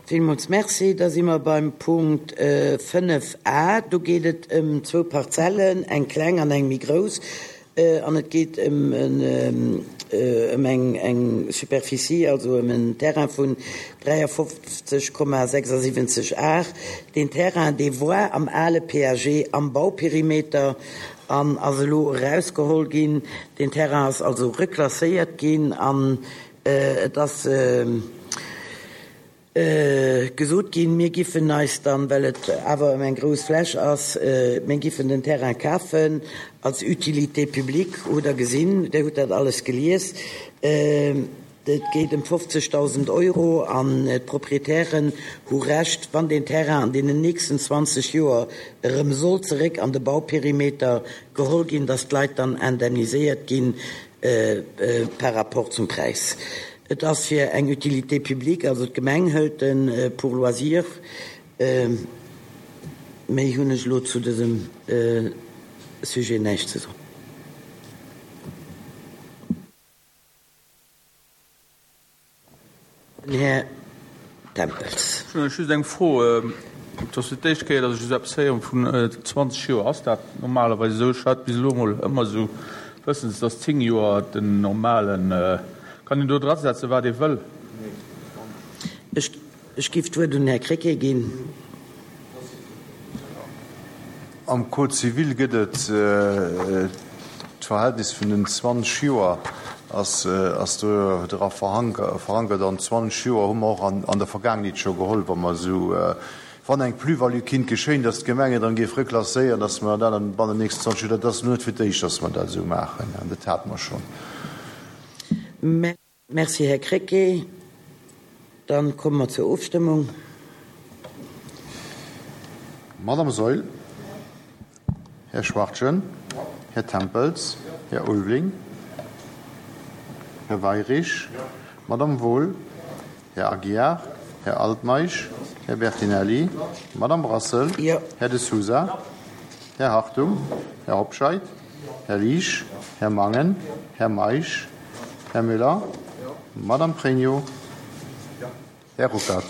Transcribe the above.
Villmools Merci. Da si mer beim Punkt 5 a. Do geet et ëm zwou Parzellen, eng kleng an eng méi grouss. An et geet ëm ëm eng Superficie, also ëm en Terrain vun 53,76 Ar. Deen Terrain, dee war am ale PAG am Bauperimeter an ass elo erausgeholl ginn. Deen Terrain ass also reklasséiert ginn an et ass gesot ginn, mir giffen eis dann, well et awer ëm eng grouss Fläch ass, mir giffen den Terrain kafen als Utilité publique. Hutt Der gesinn, Dir hutt dat alles gelies. Et geet ëm 50.000 Euro an d'Proprietären hu Recht, wann deen Terrain an deenen nächsten 20 Joer erëm soll zeréck an de Bauperimeter geholl ginn, dass d'Leit dann indemniséiert ginn par rapport zum Präis. Et ass fir eng Utilité publique, also d'Gemeng hëlt en pour loisir. Méi hunn ech elo zu dësem Sujet näischt ze soen. Den Här Tempels. Ech hunn just eng Fro. Et ass fir d'éischt Kéier, datt ech esou eppes héieren vun 20 Joer. Ass dat normalerweis esou? Ech hat bis elo emol ëmmer esou wëssens, datt 10 Joer den normalen. Kann een do drasetzen, wat ee wëll? Ech géif d'Wuert un den Här Krecké ginn. Am Code civil gëtt et d'Verhältnis vun den 20 Joer ass do dra verankert. An 20 Joer hu mer och an der Vergaangenheet scho geholl, wa mer esou, wann eng Plus-value kinnt geschéien, datt d'Gemeng et dann géif reklasséieren, datt mer dat dann bannen den nächsten 20 Joer, dat ass elo net fir d'éischt, datt mer dat esou maachen, dat hate mer schonn. Merci, Här Krecké. Dann komme mer zur Ofstëmmung. Madame Saeul, Här Schwachtgen, Här Tempels, Här Ulveling, Här Weirich, Madame Wohl, Här Aguiar, Här Altmeisch, Här Bertinelli, Madame Brassel, Här De Sousa, Här Hartung, Här Hobscheit, Här Liesch, Här Mangen, Här Meisch, Här Müller, Madame Pregno, Här Ruckert.